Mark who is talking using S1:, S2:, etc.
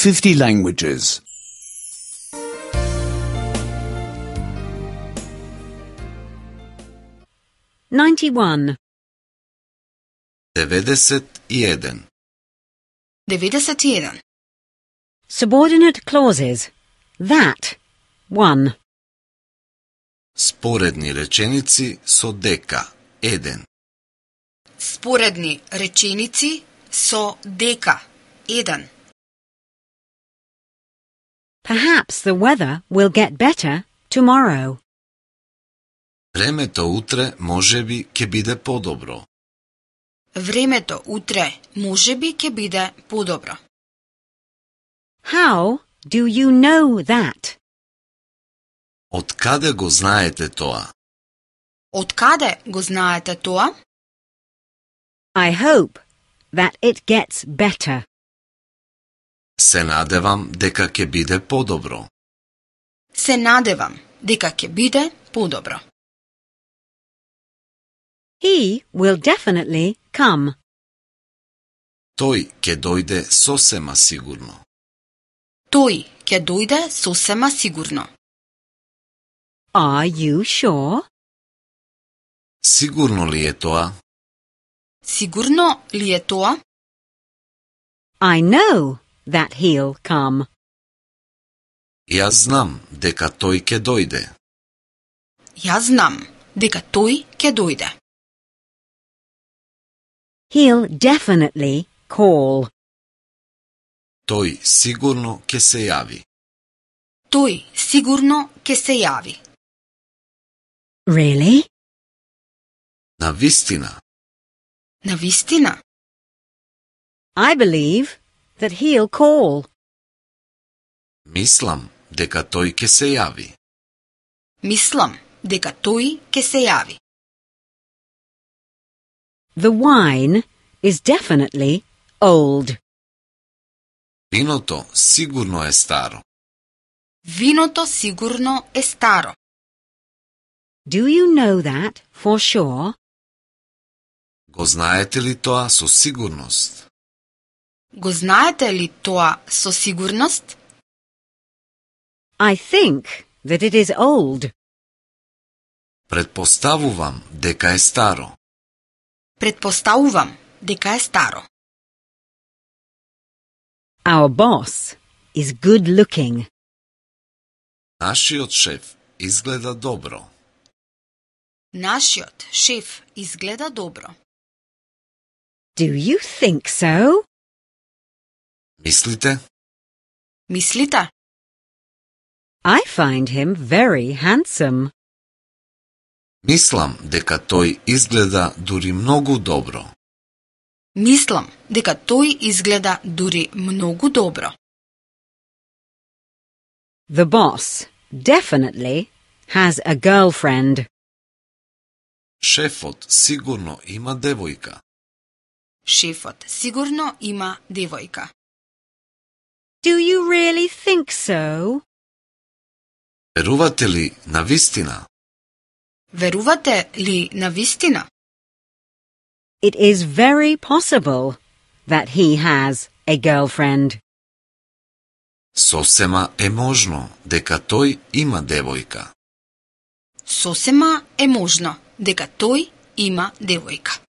S1: 50 languages.
S2: 91.
S3: 91.
S4: 91.
S2: Subordinate clauses. That. 1.
S3: Sporedni rečenici so deka. 1.
S4: Sporedni rečenici so deka. 1.
S2: Perhaps the weather will get better tomorrow.
S3: Времето утре можеби ќе биде подобро.
S4: Времето утре можеби ќе биде подобро.
S2: How do you know that?
S3: Од каде го знаете тоа?
S4: Од каде го знаете тоа?
S2: I hope that it gets better.
S3: Се надевам дека ќе биде подобро.
S4: Се надевам дека ќе биде подобро.
S2: He will definitely come.
S3: Тој ќе дојде сосема сигурно.
S4: Тој ќе дојде сосема сигурно.
S2: Are you sure?
S3: Сигурно ли е тоа?
S4: Сигурно ли е тоа?
S2: I know that he'll come.
S3: Јас знам дека тој ќе дојде.
S4: Јас знам дека тој ќе дојде.
S2: He'll definitely call.
S3: Тој сигурно ќе се јави.
S4: Тој сигурно ќе се јави.
S2: Really?
S3: Навистина.
S4: Навистина?
S2: I believe that he'll call.
S3: Мислам дека тој ќе се јави.
S4: Мислам дека тој ќе се јави.
S2: The wine is definitely old.
S3: Виното сигурно е старо.
S4: Виното сигурно е старо.
S2: Do you know that for sure?
S3: Го знаете ли тоа со сигурност?
S4: Го знаете ли тоа со сигурност?
S2: I think that it is old.
S3: Предпоставувам дека е старо.
S4: Предпоставувам дека е старо.
S2: Our boss is good looking.
S3: Нашиот шеф изгледа добро.
S4: Нашиот шеф изгледа добро.
S2: Do you think so?
S3: Мислите?
S4: Мислите?
S2: I find him very handsome.
S3: Мислам дека тој изгледа дури многу добро.
S4: Мислам дека тој изгледа дури многу добро.
S2: The boss definitely has a girlfriend.
S3: Шефот сигурно има девојка.
S4: Шефот сигурно има девојка.
S2: Do you really think so?
S3: Верувате ли навистина?
S4: Верувате ли навистина?
S2: It is very possible that he has a girlfriend.
S3: Сосема е можно дека тој има девојка.
S4: Сосема е можно дека тој има девојка.